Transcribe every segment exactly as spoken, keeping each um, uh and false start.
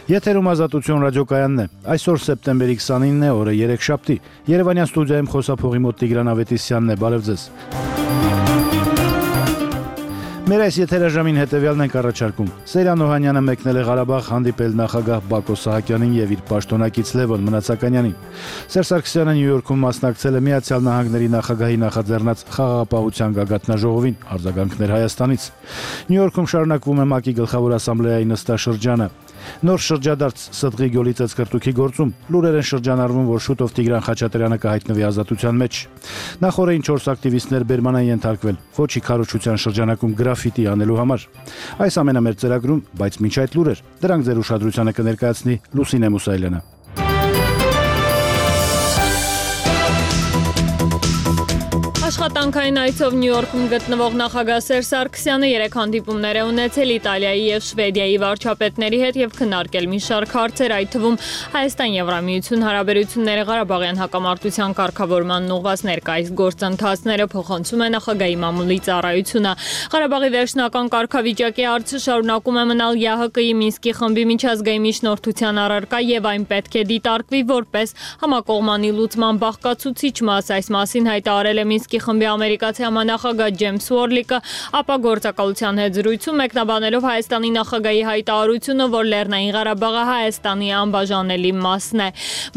Եթերում Ազատություն ռադիոկայանն է։ Այսօր սեպտեմբերի քսանինն է, օրը երեքշաբթի։ Երևանյան ստուդիայում խոսափողի մոտ Տիգրան Ավետիսյանն է, բարև ձեզ։ Մեր այս եթերաժամին հետևյալն ենք առաջարկում։ Սեյրան Օհանյանը մեկնել է Ղարաբաղ հանդիպել նախագահ Բակո Սահակյանին եւ իր պաշտոնակից Լևոն Մնացականյանին։ Սերժ Սարգսյանը Նյու Յորքում մասնակցել է Միացյալ Նահանգների նախագահի նախաձեռնած խաղաղապահության գագաթնաժողովին, արձագանքներ Հայաստանից։ Նյու Յորքում շարունակվում է ՄԱԿ-ի գլխավոր ասամբլեայի նստաշրջանը։ Նոր շրջադարձ Սդղի գոլի ծծկրտուքի գործում լուրեր են շրջանառվում, որ շուտով Տիգրան Խաչատրյանը կհայտնվի ազատության մեջ։ Նախորդին չորս ակտիվիստներ բերման են ենթարկվել Ֆոչի քարոզչության շրջանակում գրաֆիտի անելու համար։ Այս ամենը մեր ծրագրում, բայց մինչ այդ լուրեր, դրանք ձեր ուշադրությանը կներկայացնի Լուսինե Մուսայելյանը։ Աշխատանքային այցով Նյու Յորքում գտնվող նախագահ Սերժ Սարգսյանը երեք հանդիպումներ է ունեցել Իտալիայի եւ Շվեդիայի վարչապետների հետ եւ քննարկել մի շարք հարցեր, այդ թվում Հայաստան-Եվրամիություն հարաբերությունները, Ղարաբաղյան հակամարտության կարգավորմանն ուղղված ներկայիս գործընթացները, փոխանցում է նախագահի մամուլի ծառայությունը։ Ղարաբաղի վերջնական կարգավիճակի հարցը շարունակում է մնալ ԵԱՀԿ-ի Մինսկի խմբի միջազգային միջնորդության առարկա եւ այն պետք է դիտարկվի որպես համակողմանի լուծման բաղկացուցիչ մաս։ Այս մասին հայտարարել է Մինսկի խմբի ամերիկացի համանախագահ Ջեյմս Ուորլիկը, ապա գործակալության հետ զրույցում մեկնաբանելով Հայաստանի նախագահի հայտարարությունը, որ Լեռնային Ղարաբաղը Հայաստանի անբաժանելի մասն է։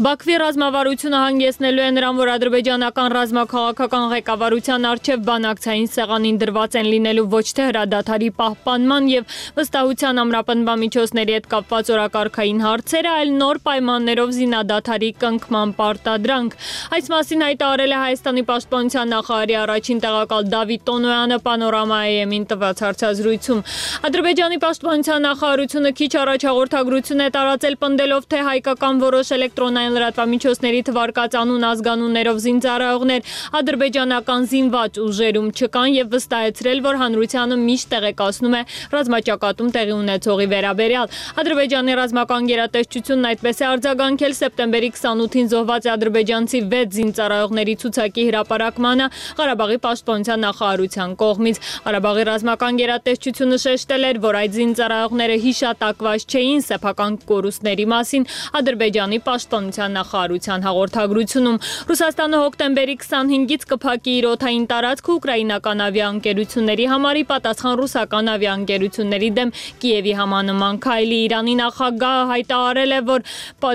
Բաքվի ռազմավարությունը հանգեցնելու է նրան, որ ադրբեջանական ռազմաքաղաքական ղեկավարության առջև բանակցային սեղանին դրված են լինելու ոչ թե հրադադարի պահպանման եւ վստահության ամրապնդման միջոցների հետ կապված օրակարգային հարցերը, այլ նոր պայմաններով զինադադարի կնքման պարտադրանք։ Այս մասին հայտարարել է Հայաստանի պաշտպանության նախարարի առաջին տեղակալ Դավիթ Տոնոյանը Պանորամայ-ին տված հարցազրույցում։ Ադրբեջանի պաշտպանության նախարարությունը քիչ առաջ հաղորդագրություն է տարածել, պնդելով, թե հայկական որոշ էլեկտրոնային լրատվամիջոցների թվարկած անուն ազգանուններով զինծառայողներ ադրբեջանական զինված ուժերում չկան եւ վստահեցրել, որ հանրությանը միշտ տեղեկացնում է ռազմաճակատում տեղի ունեցողի վերաբերյալ։ Ադրբեջանի ռազմական գերատեսչությունն այդպես է արձագանքել սեպտեմբերի քսանութին զոհված ադրբեջանցի վեց զինծառայողների ցուցակի հրապարակմանը Ղարաբաղի պաշտպանության նախարարության կողմից։ Ղարաբաղի ռազմական գերատեսչությունը շեշտել էր, որ այդ զինծառայողները հիշատակված չէին սեփական կորուստների մասին Ադրբեջանի պաշտպանության նախարարության հաղորդագրությունում։ Ռուսաստանը հոկտեմբերի քսանհինգից կփակի իր օդային տարածքը ուկրաինական ավիաընկերությունների համար, ի պատասխան ռուսական ավիաընկերությունների դեմ Կիևի համանման քայլի։ Իրանի նախագահը հայտարարել է, որ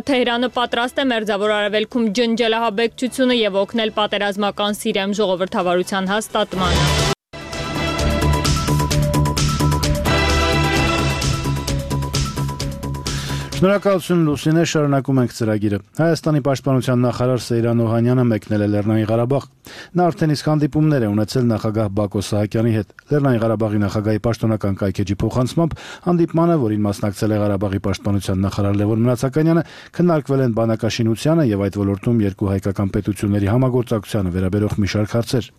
Թեհրանը պատրաստ է Մերձավոր Արևելքում ջնջել ահաբեկչությունը եւ օգնել պատերազմական Սիրիայում ժողովրդավարության հաստատմանը։ Շնորհակալություն Լուսինե, շարունակում ենք ծրագիրը։ Հայաստանի պաշտպանության նախարար Սեյրան Օհանյանը մեկնել է Լեռնային Ղարաբաղ։ Նա արդեն իսկ հանդիպումներ է ունեցել նախագահ Բակո Սահակյանի հետ։ Լեռնային Ղարաբաղի նախագահի պաշտոնական կայքեջի փոխանցմամբ հանդիպմանը, որին մասնակցել է Ղարաբաղի պաշտպանության նախարար Լևոն Մնացականյանը, քննարկվել են բանակաշինությանը եւ այդ ոլորտում երկու հայկական պետությունների համագործակցությանը վերաբերող մի շարք հարցեր։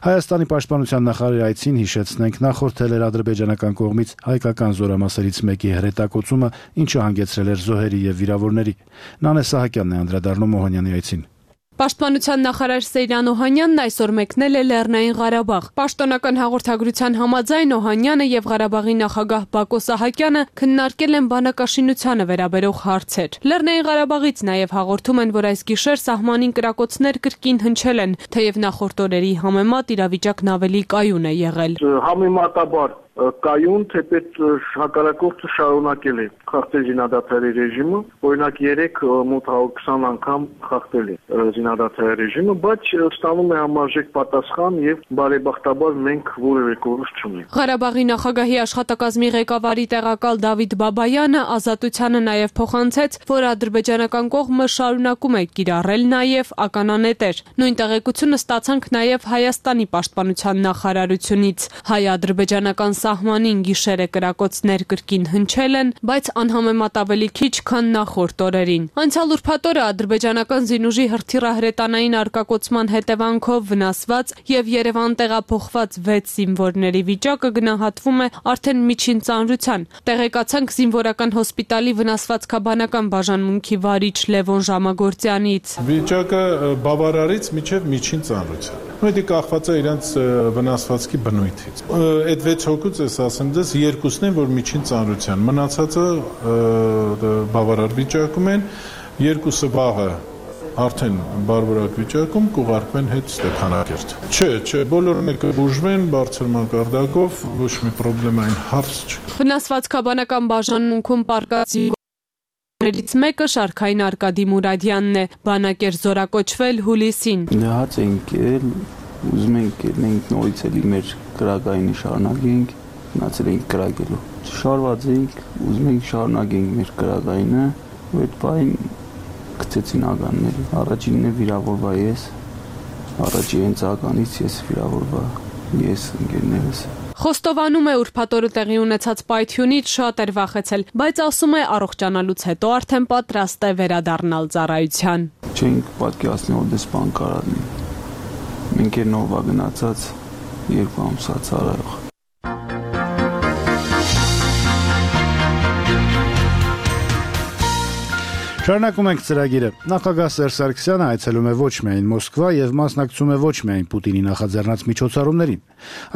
Հայաստանի պաշտպանության նախարարի այցին, հիշեցնենք, նախորդել էր ադրբեջանական կողմից հայկական զորամասերից մեկի հրետակոծումը, ինչը հանգեցրել էր զոհերի եւ վիրավորների։ Նանե Սահակյանն է անդրադառնում Օհանյանի այցին։ Պաշտպանության նախարար Սեյրան Օհանյանն այսօր մեկնել է Լեռնային Ղարաբաղ։ Պաշտոնական հաղորդագրության համաձայն Օհանյանը եւ Ղարաբաղի նախագահ Բակո Սահակյանը քննարկել են բանակաշինությանը վերաբերող հարցեր։ Լեռնային Ղարաբաղից նաեւ հաղորդում են, որ այս գիշեր սահմանին կրակոցներ կրկին հնչել են, թեև նախորդ օրերի համեմատ իրավիճակն ավելի կայուն է եղել։ Համեմատաբար կայուն, թեպետ հակառակորդը շարունակել է խախտել զինադադարի ռեժիմը, օրինակ երեք մոտ հարյուր քսան անգամ խախտել է զինադադարի ռեժիմը, բայց ստանում է համարժեք պատասխան եւ բարեբախտաբար մենք որևէ կորուստ չունենք։ Ղարաբաղի նախագահի աշխատակազմի ղեկավարի տեղակալ Դավիթ Բաբայանը Ազատությանը նաեւ փոխանցեց, որ ադրբեջանական կողմը շարունակում է կիրառել նաեւ ականանետեր։ Նույն տեղեկությունը ստացանք նաեւ Հայաստանի պաշտպանության նախարարությունից։ Հայ-ադրբեջանական սահմանին գիշերը կրակոցներ կրկին հնչել են, բայց անհամեմատ ավելի քիչ, քան նախորդ օրերին։ Անցյալ ուրբաթ օրը ադրբեջանական զինուժի հրթիռահրետանային արկակոծման հետևանքով վնասված եւ Երևան տեղափոխված վեց զինվորների վիճակը գնահատվում է արդեն միջին ծանրության։ Տեղեկացանք զինվորական հոսպիտալի վնասվածքաբանական բաժանմունքի վարիչ Լևոն Ժամագործյանից։ Վիճակը բավարարից միջև միջին ծանրության։ Դա կախված է իրենց վնասվածքի բնույթից։ Այդ վեց հոգու ձեզ ասեմ, դες երկուսն են, որ միջին ծանրության, մնացածը բավարար վիճակում են, երկուսը վաղը արդեն բարբարակ վիճակում կուղարկվեն հետ Ստեփանակերտ։ Չէ, չէ, բոլորը կբուժվեն բարձր մակարդակով, ոչ մի պրոբլեմային հարց չկա։ Վնասվածքաբանական բաժանմունքում պարկած ներից մեկը Շարքային Արկադի Մուրադյանն է, բանակ էր զորակոչվել հուլիսին։ Նահաց ենք ել, ուզում ենք ենք նորից էլի մեր կրակայինը շարունակենք, մնացել ենք կրակելու։ Շարված ենք, ուզում ենք շարունակենք մեր կրակայինը, ու այդ բային գցեցին ականներ։ Առաջինն է վիրավորվա ես, առաջի հենց ականից ես վիրավորվա ես ընկերներս։ Խոստովանում է ուրբաթ օրը տեղի ունեցած պայթյունից շատ էր վախեցել, բայց ասում է առողջանալուց հետո արդեն պատրաստ է վերադառնալ ծառայության։ Չենք պատկերացնի, որ դες բան կարա լինի։ Մենք էր նովա գնացած երկու ամսա ծառայող։ Շարունակում ենք ծրագիրը։ Նախագահ Սերժ Սարգսյանը այցելում է ոչ միայն Մոսկվա եւ մասնակցում է ոչ միայն Պուտինի նախաձեռնած միջոցառումներին։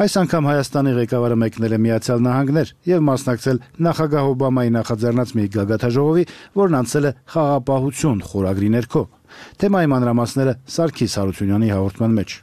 Այս անգամ Հայաստանի ղեկավարը մեկնել է Միացյալ Նահանգներ եւ մասնակցել նախագահ Օբամայի նախաձեռնած մի գագաթաժողովի, որն անցել է խաղապահություն խորագրի ներքո։ Թեմայի մանրամասները Սարգիս Հարությունյանի հաղորդման մեջ։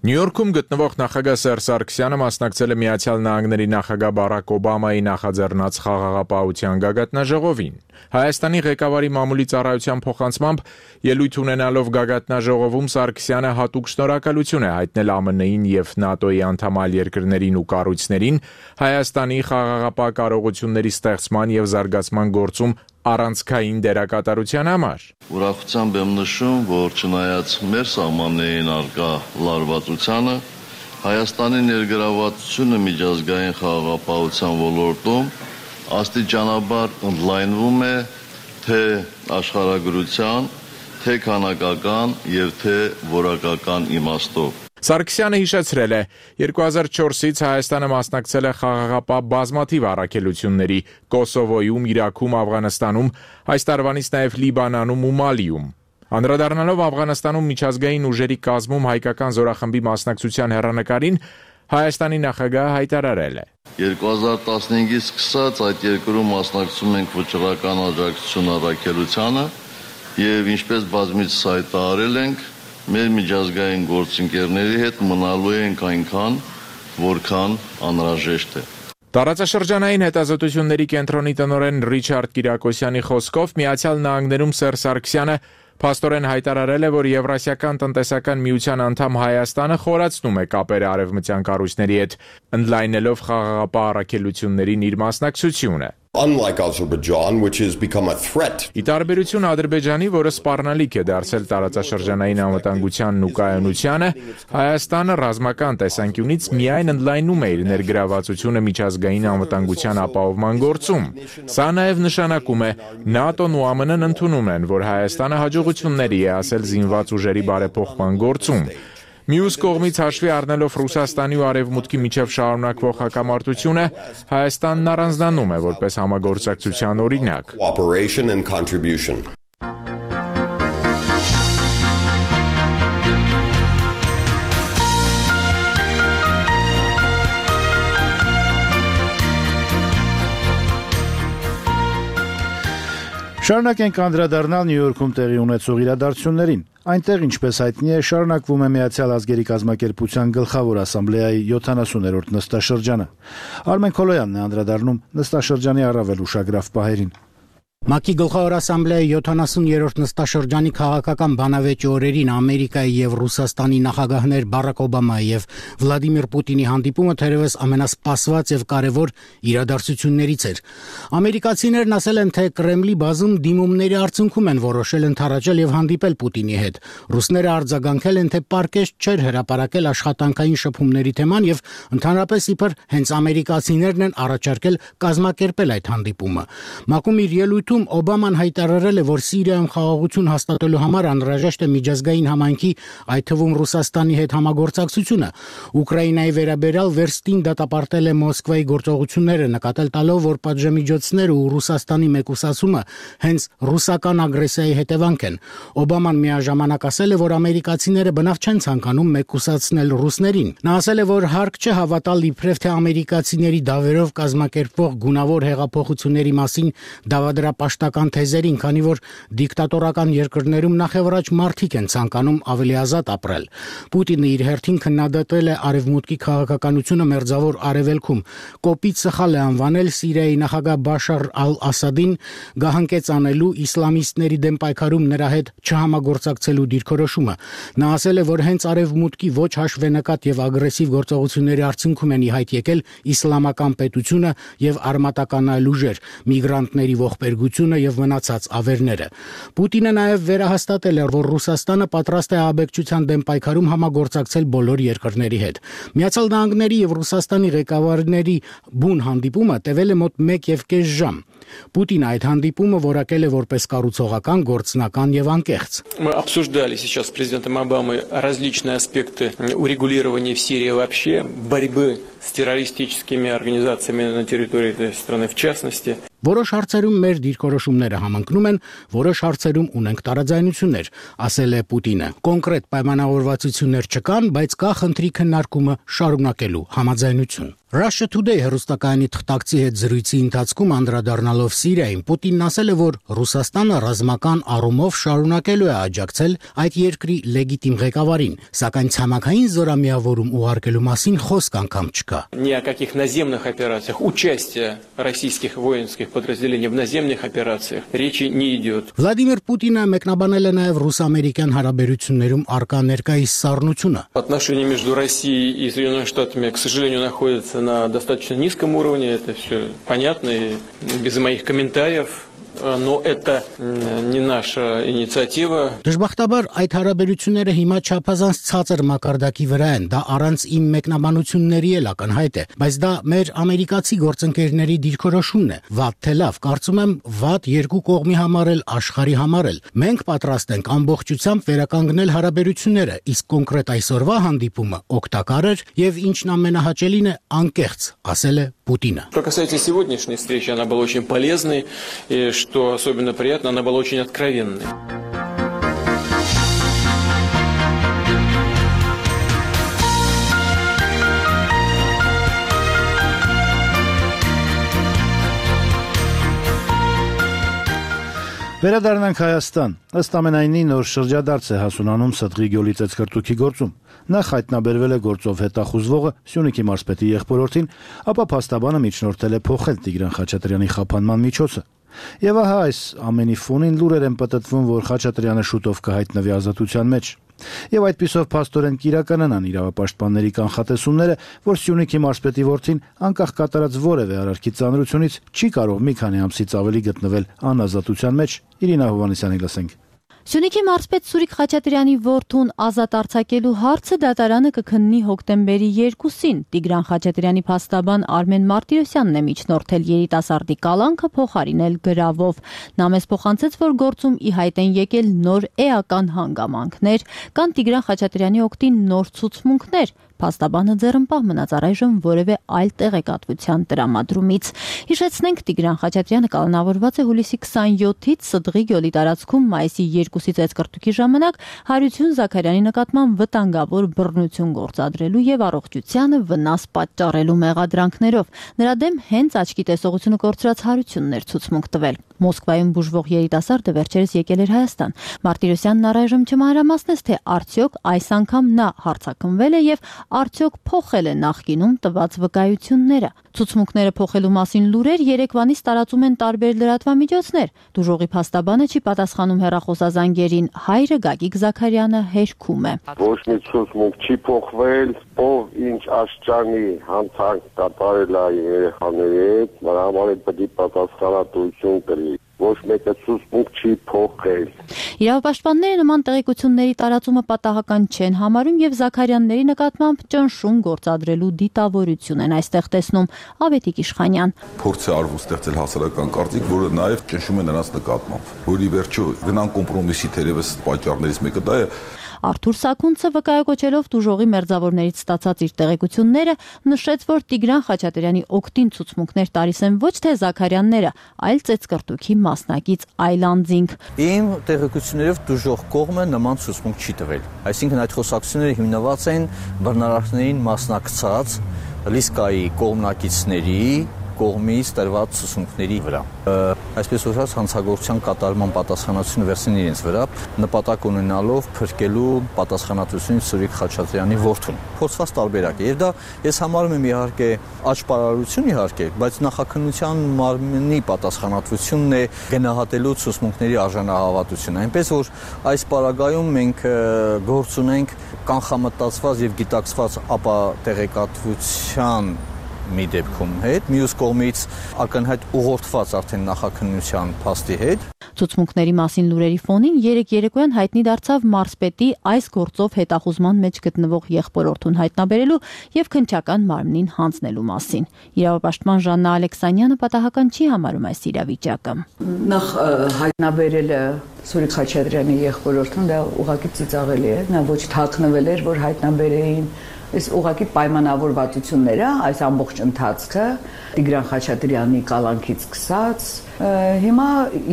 Նյու Յորքում գտնվող նախագահ Սերժ Սարգսյանը մասնակցել է Միացյալ Նահանգների նախագահ Բարակ Օբամայի նախաձեռնած խաղաղապահության գագաթնաժողովին։ Հայաստանի ղեկավարի մամուլի ծառայության փոխանցմամբ ելույթ ունենալով գագաթնաժողովում Սարգսյանը հատուկ շնորհակալություն է հայտնել ԱՄՆ-ին եւ ՆԱՏՕ-ի անդամ այլ երկրներին ու կառույցներին Հայաստանի խաղաղապահ կարողությունների ստեղծման եւ զարգացման գործում առանցքային դերակատարության համար։ Ուրախությամբ եմ նշում, որ չնայած մեր սահմաններին առկա լարվածությանը, Հայաստանի ներգրավվածությունը միջազգային խաղաղապահության ոլորտում աստիճանաբար ընդլայնվում է թե աշխարհագրության, թե քանակական եւ թե որակական իմաստով։ Սարգսյանը հիշեցրել է, երկու հազար չորսից Հայաստանը մասնակցել է խաղաղապահ բազմաթիվ առաքելությունների Կոսովոյում, Իրաքում, Աֆղանստանում, այս տարվանից նաև Լիբանանում ու Մալիում։ Անդրադառնալով Աֆղանստանում միջազգային ուժերի կազմում հայկական զորախմբի մասնակցության հեռանկարին, Հայաստանի նախագահը հայտարարել է. երկու հազար տասնհինգից սկսած այդ երկրում մասնակցում ենք վճռական աջակցություն առաքելությանը եւ ինչպես բազմիցս հայտարարել ենք, մեր միջազգային գործընկերների հետ մնալու ենք այնքան, որքան անհրաժեշտ է։ Տարածաշրջանային հետազոտությունների կենտրոնի տնօրեն Ռիչարդ Կիրակոսյանի խոսքով Միացյալ Նահանգներում Սերժ Սարգսյանը փաստորեն հայտարարել է, որ Եվրասիական տնտեսական միության անդամ Հայաստանը խորացնում է կապերը արևմտյան կառույցների հետ, ընդլայնելով խաղաղապահ առաքելություններին իր մասնակցությունը։ Unlike Azerbaijan, which has become a threat. Ի տարբերություն Ադրբեջանի, որը սպառնալիք է դարձել տարածաշրջանային անվտանգությանն ու կայունությանը, Հայաստանը ռազմական տեսանկյունից միայն ընդլայնում է իր ներգրավվածությունը միջազգային անվտանգության ապահովման գործում։ Սա նաև նշանակում է, ՆԱՏՕ-ն ու ԱՄՆ-ն ընդունում են, որ Հայաստանը հաջողությունների է հասել զինված ուժերի բարեփոխման գործում։ Մյուս կողմից հաշվի առնելով Ռուսաստանի ու Արևմուտքի միջև շարունակվող հակամարտությունը, Հայաստանն առանձնանում է որպես համագործակցության օրինակ։ Cooperation and contribution. Շարունակենք անդրադառնալ Նյու Յորքում տեղի ունեցող իրադարձություններին։ Այնտեղ, ինչպես հայտնի է, շարունակվում է Միացյալ ազգերի կազմակերպության գլխավոր ասամբլեայի յոթանասուներորդ նստաշրջանը։ Արմեն Քոլոյանն է անդրադառնում նստաշրջանի առավել ուշագրավ պահերին։ ՄԱԿ-ի գլխավոր ասամբլեայի յոթանասուներորդ նստաշրջանի քաղաքական բանավեճի օրերին Ամերիկայի եւ Ռուսաստանի նախագահներ Բարակ Օբամայի եւ Վլադիմիր Պուտինի հանդիպումը թերևս ամենասպասված եւ կարեւոր իրադարձություններից էր։ Ամերիկացիներն ասել են, թե Կրեմլի բազում դիմումների արդյունքում են որոշել ընդառաջել եւ հանդիպել Պուտինի հետ։ Ռուսները արձագանքել են, թե պարկեշտ չէր հրապարակել աշխատանքային շփումների թեման եւ ընդհանրապես իբր հենց ամերիկացիներն են առաջարկել կազմակերպել այդ հանդիպումը։ ՄԱԿ-ում իր ելույթ խորհրդում Օբաման հայտարարել է, որ Սիրիայում խաղաղություն հաստատելու համար անհրաժեշտ է միջազգային համայնքի, այդ թվում Ռուսաստանի հետ համագործակցությունը։ Ուկրաինայի վերաբերյալ վերստին դատապարտել է Մոսկվայի գործողությունները, նկատել տալով, որ պատժամիջոցները ու Ռուսաստանի մեկուսացումը հենց ռուսական ագրեսիայի հետևանք են։ Օբաման միաժամանակ ասել է, որ ամերիկացիները բնավ չեն ցանկանում մեկուսացնել ռուսներին։ Նա ասել է, որ հարկ չէ հավատալ իբրև թե ամերիկացիների դավերով կազմակերպվող գունավոր հեղափոխությունների մասին դավադրապաշտական թեզերին, քանի որ դիկտատորական երկրներում նախևառաջ մարդիկ են ցանկանում ավելի ազատ ապրել։ Պուտինը իր հերթին քննադատել է արևմուտքի քաղաքականությունը մերձավոր արևելքում, կոպիտ սխալ է անվանել Սիրիայի նախագահ Բաշար ալ-Ասադին գահանկեց անելու իսլամիստների դեմ պայքարում նրա հետ չհամագործակցելու դիրքորոշումը։ Նա ասել է, որ հենց արևմուտքի ոչ հաշվենկատ եւ ագրեսիվ գործողությունների արդյունքում են ի հայտ եկել իսլամական պետությունը եւ արմատական այլ ուժեր, միգրանտների ողբերգությունը եւ մնացած ավերները։ Պուտինը նաեւ վերահաստատել է, որ Ռուսաստանը պատրաստ է աբեկչության դեմ պայքարում համագործակցել բոլոր երկրների հետ։ Միացյալ Նահանգների եւ Ռուսաստանի ղեկավարների բուն հանդիպումը տևել է մոտ մեկ եւ կես ժամ։ Պուտինը այդ հանդիպումը որակել է որպես կառուցողական, գործնական եւ անկեղծ։ Мы обсуждали сейчас с президентом Обамой различные аспекты урегулирования в Сирии вообще, борьбы с террористическими организациями на территории этой страны в частности. Որոշ հարցերում մեր դիրքորոշումները համընկնում են, որոշ հարցերում ունենք տարաձայնություններ, ասել է Պուտինը։ Կոնկրետ պայմանավորվածություններ չկան, բայց կա խնդրի քննարկումը շարունակելու համաձայնություն։ Russia Today հեռուստակայանի թղթակցի հետ զրույցի ընթացքում անդրադառնալով Սիրիային, Պուտինն ասել է, որ Ռուսաստանը ռազմական առումով շարունակելու է աջակցել այդ երկրի լեգիտիմ ղեկավարին, սակայն ցամաքային զորամիավորում ուղարկելու մասին խոսք անգամ չկա։ Ни о каких наземных операциях, участия российских воинских подразделений в наземных операциях речи не идет. Վլադիմիր Պուտինը մեկնաբանել է նաև ռուս-ամերիկյան հարաբերություններում առկա ներկայիս սառնությունը։ Отношения между Россией и Соединенными Штатами, к сожалению, находятся на достаточно низком уровне, это все понятно и без моих комментариев. Но это не наша инициатива. Դժբախտաբար այդ հարաբերությունները հիմա չափազանց ցածր մակարդակի վրա են, դա առանց իմ մեկնաբանությունների էլ ակնհայտ է, բայց դա մեր ամերիկացի գործընկերների դիրքորոշումն է։ Վատ թե լավ, կարծում եմ, վատ երկու կողմի համար էլ, աշխարհի համար էլ։ Մենք պատրաստ ենք ամբողջությամբ վերականգնել հարաբերությունները, իսկ կոնկրետ այսօրվա հանդիպումը օգտակար էր եւ ինչն ամենահաճելին է, անկեղծ, ասել է Պուտինը։ Что касается сегодняшней встречи, она была очень полезной, и что особенно приятно, она была очень откровенной. Վերադառնանք Հայաստան։ Ըստ ամենայնի նոր շրջադարձ է հասունանում Ստղի գյոլի ծեծկրտուքի գործում։ Նախ հայտնաբերվել է գործով հետախուզվողը Սյունիքի մարզպետի եղբորորդին, ապա փաստաբանը միջնորդել է փոխել Տիգրան Խաչատրյանի խափանման միջոցը։ Եվ ահա այս ամենի ֆոնին լուրեր են պատտվում, որ Խաչատրյանը շուտով կհայտնվի ազատության մեջ։ Եվ այդպիսով փաստորեն կիրականանան իրավապաշտպանների կանխատեսումները, որ Սյունիքի մարզպետի որդին անկախ կատարած որևէ արարքի ծանրությունից չի կարող մի քանի ամսից ավելի գտնվել անազատության մեջ։ Իրինա Հովհաննիսյանի լսենք։ Սյունիքի մարզպետ Սուրիկ Խաչատրյանի որդուն ազատ արձակելու հարցը դատարանը կքննի հոկտեմբերի երկուսին։ Տիգրան Խաչատրյանի փաստաբան Արմեն Մարտիրոսյանն է միջնորդել երիտասարդի կալանքը փոխարինել գրավով։ Նա մեզ փոխանցեց, որ գործում ի հայտ են եկել նոր էական հանգամանքներ, կան Տիգրան Խաչատրյանի օգտին նոր ցուցմունքներ։ Փաստաբանը ձեռնպահ մնաց առայժմ որևէ այլ տեղեկատվության տրամադրումից։ Հիշեցնենք, Տիգրան Խաչատրյանը կալանավորված է հուլիսի քսանյոթից Ստղի գյոլի տարածքում մայիսի երկուսի ծեծկրտուքի ժամանակ Հարություն Զաքարյանի նկատմամբ վտանգավոր բռնություն գործադրելու եւ առողջությանը վնաս պատճառելու մեղադրանքներով։ Նրա դեմ հենց աչքի տեսողությունը կորցրած Հարությունն էր ցուցմունք տվել։ Մոսկվայում բուժվող երիտասարդը վերջերս եկել էր Հայաստան։ Մարտիրոսյանն առայժմ չմանրամասնեց, թե արդյոք այս անգամ նա հարձակվել է եւ արդյոք փոխել է նախկինում տված վկայությունները։ Ցուցմունքները փոխելու մասին լուրեր երեկվանից տարածում են տարբեր լրատվամիջոցներ։ Դուժողի փաստաբանը չի պատասխանում հեռախոսազանգերին, հայրը Գագիկ Զաքարյանը հերքում է։ Ոչ մի ցուցմունք չի փոխվել, ով ինչ աշճանի հանցանք կատարել է երեխաների հետ, նրա համար պետք է պատասխանատվություն կրի։ ոչ մեկը ցուցմունք չի փոխել։ Իրավապաշտպանները նման տեղեկությունների տարածումը պատահական չեն համարում եւ Զաքարյանների նկատմամբ ճնշում գործադրելու դիտավորություն են այստեղ տեսնում Ավետիք Իշխանյան։ Փորձ է արվում ստեղծել հասարակական կարծիք, որը նաեւ ճնշում է նրանց նկատմամբ, որի վերջո գնան կոմպրոմիսի թերևս պատճառներից մեկը դա է։ Արթուր Սաքունցը վկայակոչելով տուժողի մերձավորներից ստացած իր տեղեկությունները նշեց, որ Տիգրան Խաչատրյանի օգտին ցուցմունքներ տալիս են ոչ թե Զաքարյանները, այլ ծեծկրտուքի մասնակից այլանդզինք։ Իմ տեղեկություններով տուժող կողմը նման ցուցմունք չի տվել։ Այսինքն այդ խոսակցությունները հիմնված են բռնարարքներին մասնակցած Լիսկայի կողմնակիցների կողմից տրված ցուցմունքների վրա։ Այսպես ասած, հանցագործության կատարման պատասխանատվությունը վերցին իրենց վրա, նպատակ ունենալով փրկելու պատասխանատվությունից Սուրիկ Խաչատրյանի որդուն։ Փոխված տարբերակ է, եւ դա ես համարում եմ իհարկե աճպարարություն իհարկե, բայց նախաքննության մարմնի պատասխանատվությունն է գնահատելու ցուցմունքների արժանահավատությունը։ Այնպես որ այս պարագայում մենք գործ ունենք կանխամտածված եւ գիտակցված ապա տեղեկատվության մի դեպքում հետ, մյուս կողմից ակնհայտ ուղղորդված արդեն նախաքննության փաստի հետ։ Ցուցմունքների մասին լուրերի ֆոնին երեք երեկոյան հայտնի դարձավ մարզպետի այս գործով հետախուզման մեջ գտնվող եղբորորդուն հայտնաբերելու եւ քննչական մարմնին հանձնելու մասին։ Իրավապաշտպան Ժաննա Ալեքսանյանը պատահական չի համարում այս իրավիճակը։ Նախ հայտնաբերելը Սուրիկ Խաչատրյանի եղբորորդուն դա ուղղակի ծիծաղելի է, նա ոչ թաքնվել էր, որ հայտնաբերեին Այս ուղղակի պայմանավորվածությունները, այս ամբողջ ընթացքը Տիգրան Խաչատրյանի կալանքից սկսած, հիմա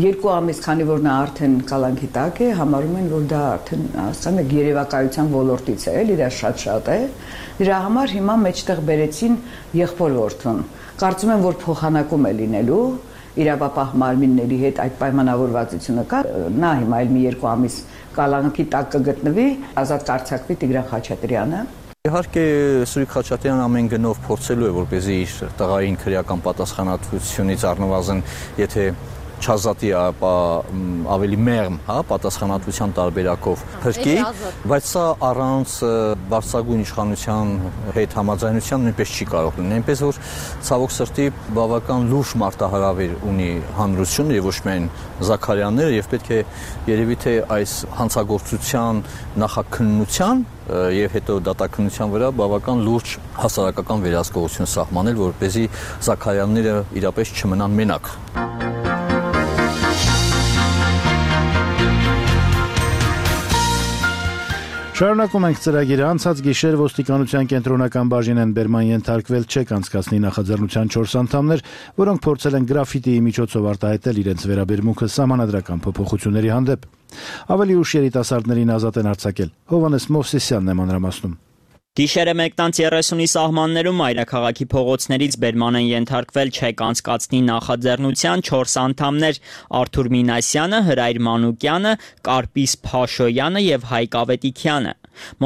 երկու ամիս, քանի որ նա արդեն կալանքի տակ է, համարում են, որ դա արդեն ասեմ եք երևակայության ոլորտից է, էլի դա շատ-շատ է։ Դրա համար հիմա մեջտեղ բերեցին եղբորորդուն։ Կարծում եմ, որ փոխանակում է լինելու իրավապահ մարմինների հետ այդ պայմանավորվածությունը կա, նա հիմա այլ մի երկու ամիս կալանքի տակ կգտնվի, ազատ կարձակվի Տիգրան Խաչատրյանը։ Իհարկե Սուրիկ Խաչատրյանն ամեն գնով փորձելու է, որպեսզի իր տղային քրեական պատասխանատվությունից առնվազն, եթե չազատի ապա ավելի մեղմ, հա, պատասխանատվության տարբերակով փրկի, բայց սա առանց բարձրագույն իշխանության հետ համաձայնության նույնպես չի կարող լինել։ Այնպես որ ցավոք սրտի բավական լուրջ մարտահրավեր ունի հանրությունը եւ ոչ միայն Զաքարյանները եւ պետք է երևի թե այս հանցագործության նախաքննության եւ հետո դատաքննության վրա բավական լուրջ հասարակական վերահսկողություն սահմանել, որպեսզի Զաքարյանները իրապես չմնան մենակ։ Շարունակում ենք ծրագիրը։ Անցած գիշեր ոստիկանության կենտրոնական բաժին են բերման ենթարկվել չեք անցկացնի նախաձեռնության չորս անդամներ, որոնք փորձել են գրաֆիտիի միջոցով արտահայտել իրենց վերաբերմունքը սահմանադրական փոփոխությունների հանդեպ։ Ավելի ուշ երիտասարդներին ազատ են արձակել։ Հովհաննես Մովսեսյանն է մանրամասնում։ Գիշերը մեկտանց երեսունի սահմաններում մայրաքաղաքի փողոցներից բերման են ենթարկվել չեք անցկացնի նախաձեռնության չորս անդամներ՝ Արթուր Մինասյանը, Հրայր Մանուկյանը, Կարպիս Փաշոյանը եւ Հայկ Ավետիքյանը։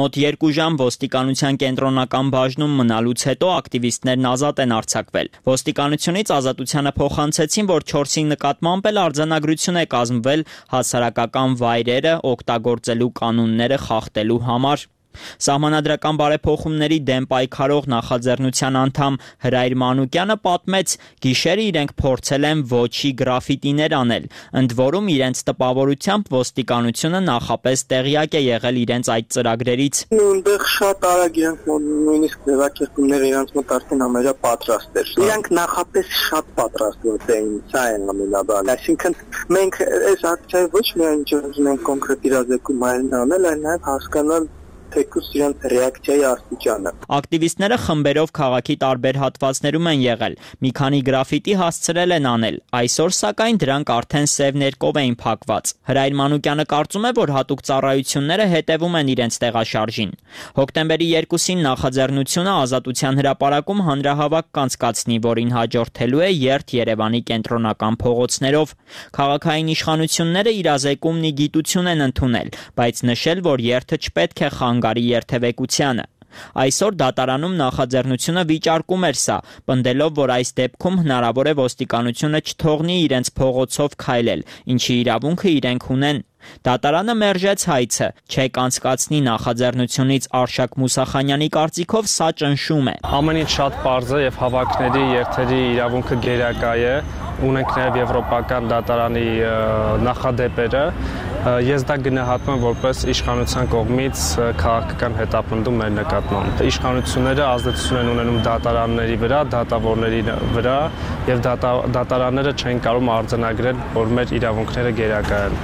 Մոտ երկու ժամ ոստիկանության կենտրոնական բաժնում մնալուց հետո ակտիվիստներն ազատ են արձակվել։ Ոստիկանությունից ազատությանը փոխանցեցին, որ չորսի նկատմամբ էլ արձանագրություն է կազմվել հասարակական վայրերը օգտագործելու կանոնները խախտելու համար։ Սահմանադրական բարեփոխումների դեմ պայքարող նախաձեռնության անդամ Հրայր Մանուկյանը պատմեց, գիշերը իրենք փորձել են ոչի գրաֆիտիներ անել, ընդ որում իրենց տպավորությամբ ոստիկանությունը նախապես տեղյակ է եղել իրենց այդ ծրագրերից։ Նույնտեղ շատ արագ իրենք նույնիսկ ձևակերպումները իրենց մոտ արդեն ամենա պատրաստ էր։ Իրենք նախապես շատ պատրաստված էին, սա է ամենաբանը։ Այսինքն մենք այս ակցիայի ոչ միայն չունենք կոնկրետ իրազեկում անել, այլ նաև հասկանալ թեկուզ իրենց ռեակցիայի աստիճանը։ Ակտիվիստները խմբերով քաղաքի տարբեր հատվածներում են եղել, մի քանի գրաֆիտի հասցրել են անել, այսօր սակայն դրանք արդեն սև ներկով էին փակված։ Հրայր Մանուկյանը կարծում է, որ հատուկ ծառայությունները հետևում են իրենց տեղաշարժին։ Հոկտեմբերի երկուսին նախաձեռնությունը Ազատության հրապարակում հանրահավաք կանցկացնի, որին հաջորդելու է երթ Երևանի կենտրոնական փողոցներով։ Քաղաքային իշխանությունները իրազեկումն ի գիտություն են ընդունել, բայց նշել, որ երթը չպետք է խանգարի երթևեկությանը։ Այսօր դատարանում նախաձեռնությունը վիճարկում էր սա, պնդելով, որ այս դեպքում հնարավոր է ոստիկանությունը չթողնի իրենց փողոցով քայլել, ինչի իրավունքը իրենք ունեն։ Դատարանը մերժեց հայցը, չեք անցկացնի նախաձեռնությունից Արշակ Մուսախանյանի կարծիքով սա ճնշում է։ Ամեն ինչ շատ պարզ է եւ հավաքների երթերի իրավունքը գերակա է, ունենք նաև եվրոպական դատարանի նախադեպերը, ես դա գնահատում եմ որպես իշխանության կողմից քաղաքական հետապնդում մեր նկատմամբ։ Իշխանությունները ազդեցություն են ունենում դատարանների վրա, դատավորների վրա եւ դատարանները չեն կարող արձանագրել, որ մեր իրավունքները գերակա են։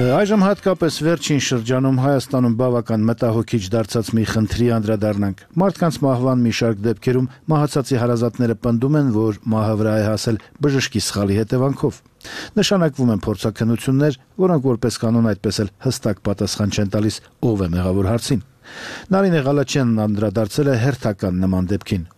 Այժմ հատկապես վերջին շրջանում Հայաստանում բավական մտահոգիչ դարձած մի խնդրի անդրադառնանք։ Մարդկանց մահվան մի շարք դեպքերում մահացածի հարազատները պնդում են, որ մահը վրա է հասել բժշկի սխալի հետևանքով։ Նշանակվում են փորձաքննություններ, որոնք որպես կանոն այդպես էլ հստակ պատասխան չեն տալիս ով է մեղավոր հարցին։ Նարինե Ղալաչյանն անդրադարձել է հերթական նման դեպքին։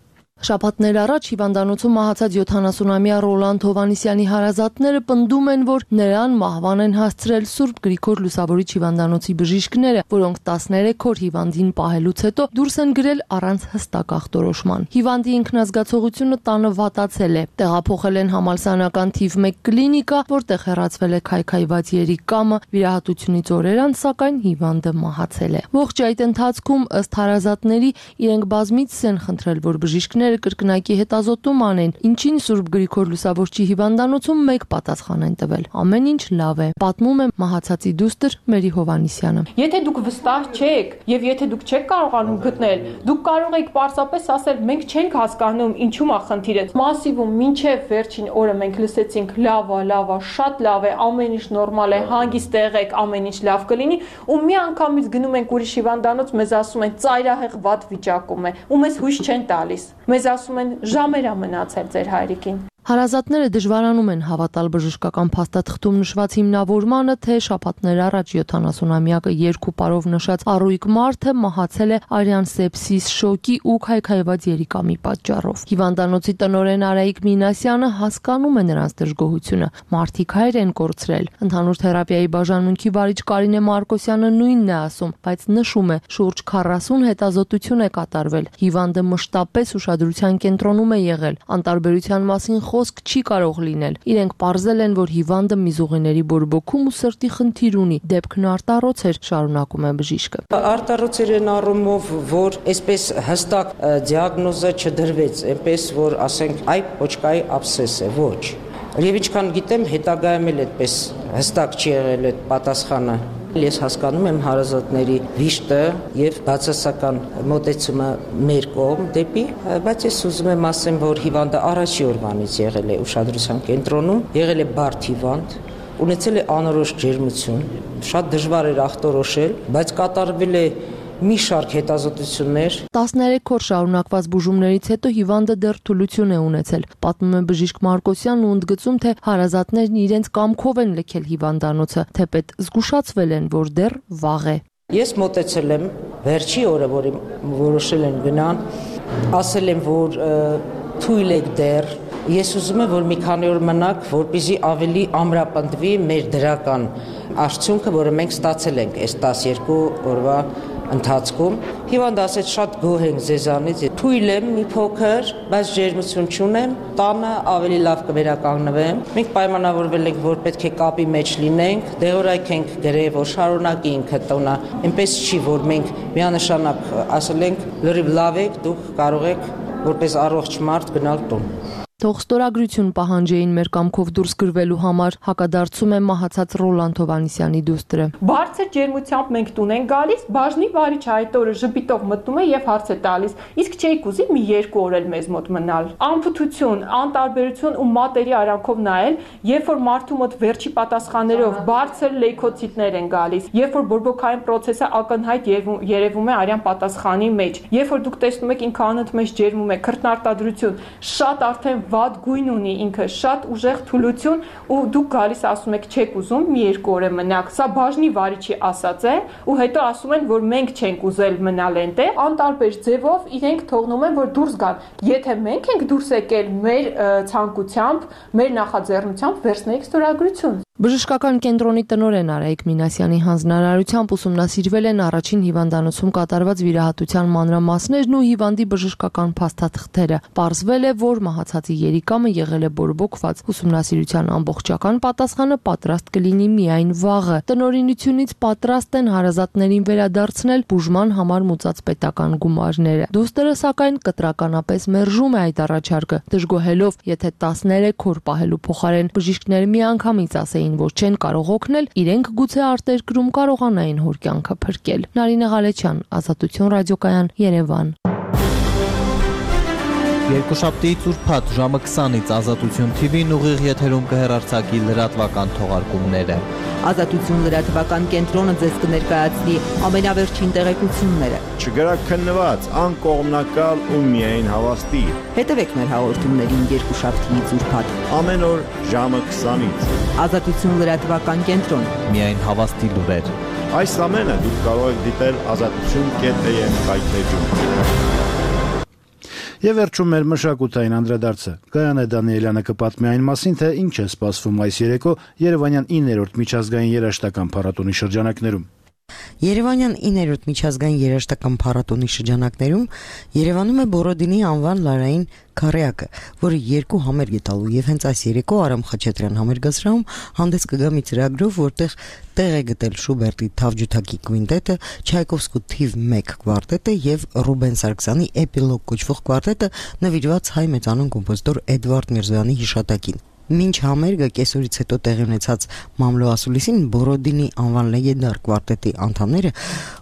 Շաբաթներ առաջ հիվանդանոցում մահացած յոթանասունամյա Ռոլանդ Հովհաննիսյանի հարազատները պնդում են, որ նրան մահվան են հասցրել Սուրբ Գրիգոր Լուսավորիչ հիվանդանոցի բժիշկները, որոնք տասներեք օր հիվանդին պահելուց հետո դուրս են գրել առանց հստակ ախտորոշման։ Հիվանդի ինքնազգացողությունը տանը վատացել է։ Տեղափոխել են համալսարանական թիվ մեկ կլինիկա, որտեղ հեռացվել է քայքայված երիկամը, վիրահատությունից օրեր անց, սակայն հիվանդը մահացել է։ Ողջ այդ ընթացքում ըստ հարազատների իրենք բազմիցս են խնդրել, որ բժիշկները կրկնակի հետազոտում անեն, ինչին Սուրբ Գրիգոր Լուսավորչի հիվանդանոցում մեկ պատասխան են տվել։ Ամեն ինչ լավ է, պատմում է մահացածի դուստր Մերի Հովհաննիսյանը։ Եթե դուք վստահ չեք եւ եթե դուք չեք կարողանում գտնել, դուք կարող եք պարզապես ասել, մենք չենք հասկանում ինչու՞մ է խնդիրը։ Մասիվում մինչեւ վերջին օրը մենք լսեցինք լավ է, լավ է, շատ լավ է, ամեն ինչ նորմալ է, հանգիստ եղեք, ամեն ինչ լավ կլինի, ու մի անգամից գնում ենք ուրիշ հիվանդանոց, մեզ ասում են ծայրահեղ վատ վիճակում է, ու մեզ հույս չեն տալիս։ Մեզ ասում են ժամեր է մնացել ձեր հայրիկին։ Հարազատները դժվարանում են հավատալ բժշկական փաստաթղթում նշված հիմնավորմանը, թե շաբաթներ առաջ յոթանասունամյակը երկու պարով նշած առույգ մարդը մահացել է արյան սեպսիս, շոկի ու քայքայված երիկամի պատճառով։ Հիվանդանոցի տնօրեն Արայիկ Մինասյանը հասկանում է նրանց դժգոհությունը։ Մարդիկ հայր են կորցրել։ Ընդհանուր թերապիայի բաժանմունքի վարիչ Կարինե Մարկոսյանը նույնն է ասում, բայց նշում է, շուրջ քառասուն հետազոտություն է կատարվել։ Հիվանդը մշտապես ուշադրության կենտրոնում է եղել։ Անտարբերության մասին խոսք չի կարող լինել։ Իրենք պարզել են, որ հիվանդը միզուղիների բորբոքում ու սրտի խնդիր ունի։ Դեպքն արտառոց էր, շարունակում է բժիշկը։ Արտառոց էր այն առումով, որ այսպես հստակ դիագնոզը չդրվեց, այնպես որ ասենք, այ պոչկայի աբսես է, ոչ։ Եվ ինչքան գիտեմ, հետագայում էլ այդպես հստակ չի եղել այդ պատասխանը։ Ես հասկանում եմ հարազատների վիշտը եւ բացասական մոտեցումը մեր կողմ դեպի, բայց ես ուզում եմ ասեմ, որ հիվանդը առաջի օրվանից եղել է ուշադրության կենտրոնում, եղել է բարդ հիվանդ, ունեցել է անորոշ ջերմություն, շատ դժվար էր ախտորոշել, բայց կատարվել է մի շարք հետազոտություններ։ տասներեք օր շարունակված բուժումներից հետո հիվանդը դեռ թուլություն է ունեցել։ Պատմում է բժիշկ Մարկոսյանն ու ընդգծում, թե հարազատներն իրենց կամքով են լքել հիվանդանոցը, թեպետ զգուշացվել են, որ դեռ վաղ է։ Ես մոտեցել եմ վերջի օրը, որի որոշել են գնան, ասել եմ, որ թույլ եք դեռ։ Ես ուզում եմ, որ մի քանի օր մնաք, որպեսզի ավելի ամրապնդվի մեր դրական արդյունքը, որը մենք ստացել ենք այս տասներկու օրվա ընթացքում։ Հիվանդը ասեց, շատ գոհ ենք ձեզանից, թույլ եմ մի փոքր, բայց ջերմություն չունեմ, տանը ավելի լավ կվերականգնվեմ։ Մենք պայմանավորվել ենք, որ պետք է կապի մեջ լինենք, դեղորայք ենք գրել, որ շարունակի ինքը տոնը, այնպես չի, որ մենք միանշանակ ասել ենք, լրիվ լավ եք, դուք կարող եք որպես առողջ մարդ գնալ տուն։ Թող ստորագրություն պահանջեին մեր կամքով դուրս գրվելու համար, հակադարձում է մահացած Ռոլանդ Հովհաննիսյանի դուստրը։ Բարձր ջերմությամբ մենք տուն ենք գալիս, բաժնի վարիչը այդ օրը ժպիտով մտնում է եւ հարց է տալիս. իսկ չէիք ուզի մի երկու օր էլ մեզ մոտ մնալ։ Անփութություն, անտարբերություն ու մատերի արանքով նայել, երբ որ մարդու մոտ վերջի պատասխաններով բարձր լեյքոցիտներ են գալիս, երբ որ բորբոքային process-ը ակնհայտ երևում է արյան պատասխանի մեջ, երբ որ դուք տեսնում եք ինքը անընդմեջ ջերմում է, քրտնարտադրություն, շատ արդեն վատ գույն ունի ինքը, շատ ուժեղ թուլություն ու դուք գալիս ասում եք չեք ուզում մի երկու օր մնաք։ Սա բաժնի վարիչի ասած է ու հետո ասում են, որ մենք չենք ուզել մնալ այնտեղ, անտարբեր ձևով իրենք թողնում են, որ դուրս գան։ Եթե մենք ենք դուրս եկել մեր ցանկությամբ, մեր նախաձեռնությամբ, վերցնեիք ստորագրություն։ Բժշկական կենտրոնի տնօրեն Արայիկ Մինասյանի հանձնարարությամբ ուսումնասիրվել են առաջին հիվանդանոցում կատարված վիրահատության մանրամասներն ու հիվանդի բժշկական փաստաթղթերը։ Պարզվել է, որ մահացածի երիկամը եղել է բորբոքված։ Ուսումնասիրության ամբողջական պատասխանը պատրաստ կլինի միայն վաղը։ Տնօրինությունից պատրաստ են հարազատներին վերադարձնել բուժման համար մուծած պետական գումարները։ Դոստերը սակայն կտրականապես մերժում է այդ առաջարկը, դժգոհելով, եթե տասներեք օր պահելու փոխարեն բժիշկները միանգամից ասեին, որ չեն կարող օգնել, իրենք գուցե արտերկրում կարողանային հոր կյանքը փրկել։ Նարինե Ղալեչյան, Ազատություն ռադիոկայան, Երևան։ Երկուշաբթիից ուրբաթ ժամը քսանից Ազատություն թի վին ուղիղ եթերում կհեռարձակի լրատվական թողարկումները։ Ազատություն լրատվական կենտրոնը ձեզ կներկայացնի ամենավերջին տեղեկությունները։ Չգրակ քննված, անկողմնակալ ու միայն հավաստի։ Հետևեք մեր հաղորդումներին երկուշաբթիից ուրբաթ։ Ամեն օր ժամը քսանից։ Ազատություն լրատվական կենտրոն։ Միայն հավաստի լուրեր։ Այս ամենը դուք կարող եք դիտել ազատություն կետ էմ կայքեջում։ Եվ վերջում մեր մշակութային անդրադարձը։ Գայանե Դանիելյանը կպատմի այն մասին, թե ինչ է սպասվում այս երեկո Երևանյան իններորդ միջազգային երաժշտական փառատոնի շրջանակներում։ Երևանյան իններորդ միջազգային երաժշտական փառատոնի շրջանակներում Երևանում է Բորոդինի անվան լարային քարեակը, որը երկու համերգ է տալու եւ հենց այս երեկո Արամ Խաչատրյան համերգասրահում հանդես կգա մի ծրագրով, որտեղ տեղ է գտել Շուբերտի Թավջութակի կվինտետը, Չայկովսկու թիվ մեկ կվարտետը եւ Ռուբեն Սարգսյանի Էպիլոգ կոչվող կվարտետը նվիրված հայ մեծանուն կոմպոզիտոր Էդվարդ Միրզոյանի հիշատակին։ Մինչ համերգը կեսօրից հետո տեղի ունեցած մամլո ասուլիսին Բորոդինի անվան լեգենդար կվարտետի անդամները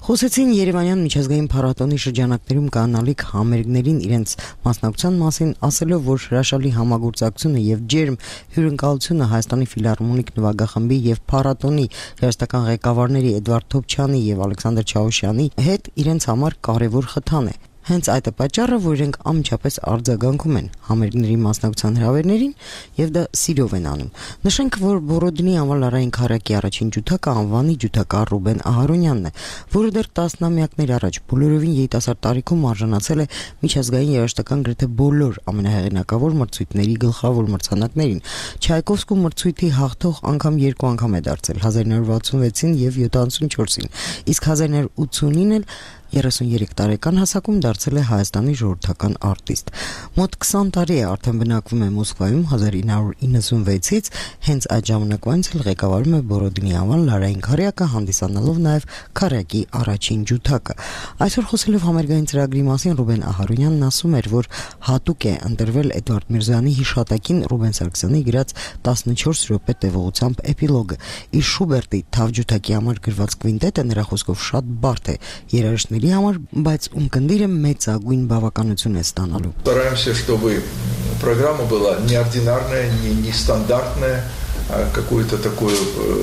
խոսեցին Երևանյան միջազգային փառատոնի շրջանակներում կանալիք համերգներին իրենց մասնակցության մասին, ասելով, որ հրաշալի համագործակցությունը եւ ջերմ հյուրընկալությունը Հայաստանի ֆիլհարմոնիկ նվագախմբի եւ փառատոնի երաժշտական ղեկավարների Էդվարդ Թոփչյանի եւ Ալեքսանդր Չաուշյանի հետ իրենց համար կարեւոր խթան է։ Հենց այդ է պատճառը, որ իրենք անմիջապես արձագանքում են համերգների մասնակցության հրավերներին եւ դա սիրով են անում։ Նշենք, որ Բորոդինի անվան լարային քարակի առաջին ջութակը անվանի ջութակար Ռուբեն Ահարոնյանն է, որը դեռ տասնամյակներ առաջ բոլորովին երիտասարդ տարիքում արժանացել է միջազգային երաժշտական գրեթե բոլոր ամենահեղինակավոր մրցույթների գլխավոր մրցանակներին։ Չայկովսկու մրցույթի հաղթող անգամ երկու անգամ է դարձել՝ հազար նոր վաթսունվեցին եւ յոթանասունչորսին, իսկ հազար նոր ութսունին էլ երեսուներեք տարեկան հասակում դարձել է Հայաստանի ժողովրդական արտիստ։ Մոտ քսան տարի է արդեն բնակվում է Մոսկվայում, հազար ինը հարյուր իննսունվեցից հենց այդ ժամանակվանից էլ ղեկավարում է Բորոդինի անվան լարային քարեակը, հանդիսանալով նաև քարեակի առաջին ջութակը։ Այսօր խոսելով համերգային ծրագրի մասին Ռուբեն Ահարոնյանն ասում էր, որ հատուկ է ընտրվել Էդվարդ Միրզոյանի հիշատակին Ռուբեն Սարգսյանի գրած տասնչորս րոպե տևողությամբ Էպիլոգը։ Իր Շուբերտի Թավջութակի համար գրված կվինտետը նրա խոսքով շատ բարդ է երաժշտների համար, բայց ունկնդիրը մեծագույն բավականություն է ստանալու։ Стараемся, чтобы программа была неординарная, не нестандартная, а какую-то такую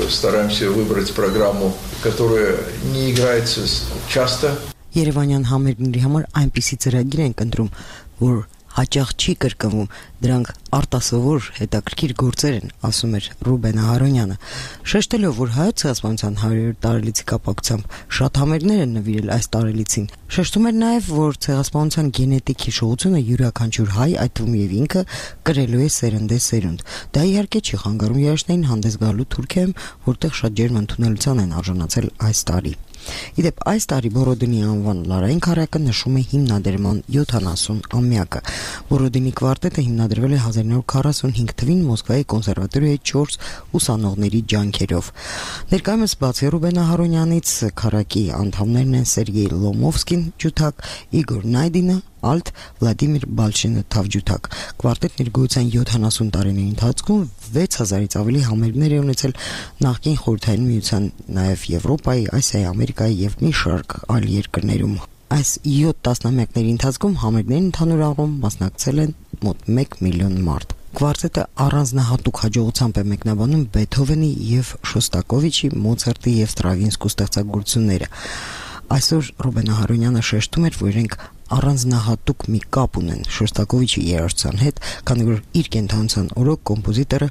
стараемся выбрать программу, которая не играется часто. Երևանյան համերգների համար այնպիսի ծրագիր ենք ընտրում, որ հաճախ չի կրկնվում, դրանք արտասովոր հետաքրքիր գործեր են, ասում էր Ռուբեն Ահարոնյանը, շեշտելով, որ հայոց ցեղասպանության հարյուր տարելիցի կապակցությամբ շատ համերգներ են նվիրել այս տարելիցին։ Շեշտում էր նաև, որ ցեղասպանության գենետիկ հիշողությունը յուրաքանչյուր հայ, այդ թվում եւ ինքը, կրելու է սերնդե սերունդ։ Դա իհարկե չի խանգարում երաժշտային հանդես գալու Թուրքիայում, որտեղ շատ ջերմ ընդունելության են արժանացել այս տարի։ Իդեպ այս տարի Բորոդինի անվան լարային քարեակը նշում է հիմնադրման յոթանասուն-ամյակը։ Բորոդինի կվարտետը հիմնադրվել է հազար նոր քառասունհինգ թվին Մոսկվայի կոնսերվատորիայի չորս ուսանողների ջանքերով։ Ներկայումս բացի Ռուբեն Ահարոնյանից քարակի անդամներն են Սերգեյ Լոմովսկին ջութակ, Իգոր Նայդինը ալտ, Վլադիմիր Բալշինը թավջութակ։ Կվարտետն իր գոյության յոթանասուն տարիների ընթացքում վեց հազարից ավելի համերգներ է ունեցել նախկին Խորհրդային Միության, նաև Եվրոպայի, Ասիայի, Ամերիկայի եւ մի շարք այլ երկրներում։ Այս յոթ տասնամյակների ընթացքում համերգներին ընդհանուր առում մասնակցել են մոտ մեկ միլիոն մարդ։ Կվարտետը առանձնահատուկ հաջողությամբ է մեկնաբանում Բեթհովենի եւ Շոստակովիչի, Մոցարտի եւ Ստրավինսկու ստեղծագործությունները։ Այսօր Ռուբեն Ահարոնյանը շեշտում էր, որ իրենք առանձնահատուկ մի կապ ունեն Շոստակովիչի երաժշտության հետ, քանի որ իր կենթանության օրոք կոմպոզիտորը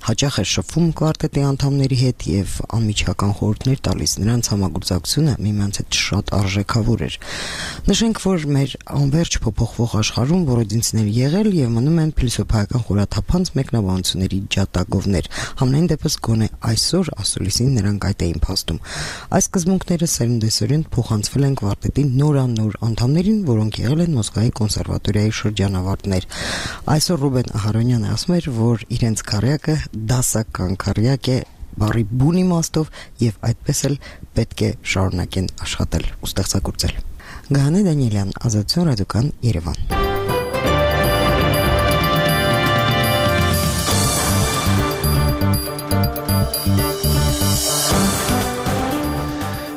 հաճախ է շփվում կվարտետի անդամների հետ եւ անմիջական խորհուրդներ տալիս։ Նրանց համագործակցությունը միմյանց հետ շատ արժեքավոր էր։ Նշենք, որ մեր անverջ փոփոխվող աշխարհում որոդինցներ եղել եւ մնում են փիլիսոփայական խորաթափանց մեկնաբանությունների ջատագովներ։ Համենայն դեպս գոնե այսօր ասուլիսին նրանք այդ էին փաստում։ Այս սկզբունքները սերունդեսերունդ փոխանցվել են կվարտետի նորանոր անդամներին, որոնք եղել են Մոսկվայի կոնսերվատորիայի շրջանավարտներ։ Այսօր Ռուբեն Ահարոնյանը ասում էր, որ իրենց քարյակը դասական քարյակ է բարի բուն իմաստով եւ այդպես էլ պետք է շարունակեն աշխատել ու ստեղծագործել։ Գահանե Դանիելյան, Ազատություն ռադիոկան, Երևան։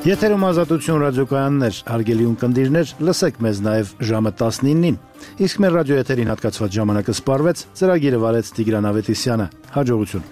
Եթերում Ազատություն ռադիոկայաններ, հարգելի ունկնդիրներ, լսեք մեզ նաև ժամը տասնինին։ Իսկ մեր ռադիոեթերին հատկացված ժամանակը սպառվեց, ծրագիրը վարեց Տիգրան Ավետիսյանը։ Հաջողություն։